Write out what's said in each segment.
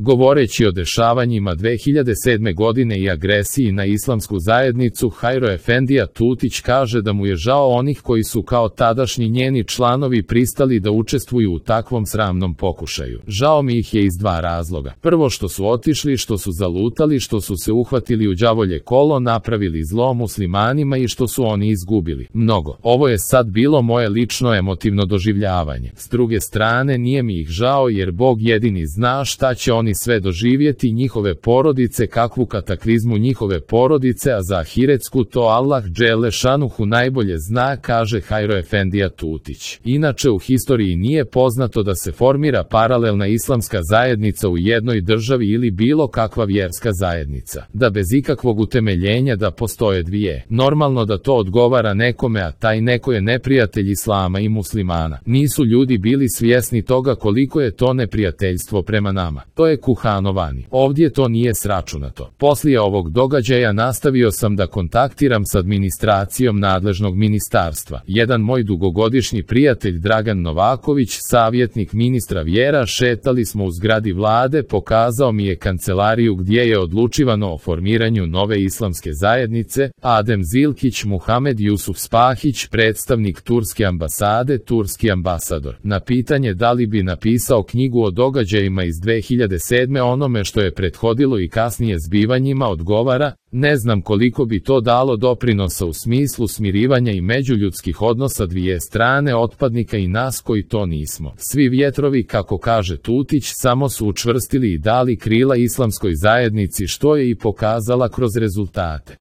Govoreći o dešavanjima 2007. godine i agresiji na islamsku zajednicu, Hajro Efendija Tutić kaže da mu je žao onih koji su kao tadašnji njeni članovi pristali da učestvuju u takvom sramnom pokušaju. Žao mi ih je iz dva razloga. Prvo, što su otišli, što su zalutali, što su se uhvatili u đavolje kolo, napravili zlo muslimanima i što su oni izgubili mnogo. Ovo je sad bilo moje lično emotivno doživljavanje. S druge strane, nije mi ih žao jer Bog jedini zna šta će oni sve doživjeti, njihove porodice, kakvu kataklizmu njihove porodice, a za ahiretsku to Allah dželle šanuhu najbolje zna, kaže Hajro Efendija Tutić. Inače, u historiji nije poznato da se formira paralelna islamska zajednica u jednoj državi ili bilo kakva vjerska zajednica, da bez ikakvog utemeljenja da postoje dvije. Normalno da to odgovara nekome, a taj neko je neprijatelj islama i muslimana. Nisu ljudi bili svjesni toga koliko je to neprijateljstvo prema nama. To je kuhanovani. Ovdje to nije sračunato. Poslije ovog događaja nastavio sam da kontaktiram s administracijom nadležnog ministarstva. Jedan moj dugogodišnji prijatelj Dragan Novaković, savjetnik ministra vjera, šetali smo u zgradi vlade, pokazao mi je kancelariju gdje je odlučivano o formiranju nove islamske zajednice. Adem Zilkić, Muhamed Jusuf Spahić, predstavnik turske ambasade, turski ambasador. Na pitanje da li bi napisao knjigu o događajima iz 2007. onome što je prethodilo i kasnije zbivanjima, odgovara: ne znam koliko bi to dalo doprinosa u smislu smirivanja i međuljudskih odnosa dvije strane, otpadnika i nas koji to nismo. Svi vjetrovi, kako kaže Tutić, samo su učvrstili i dali krila islamskoj zajednici, što je i pokazala kroz rezultate.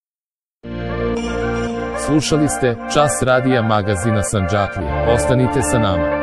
Slušali ste Čas radija magazina Sandžaklija. Ostanite sa nama.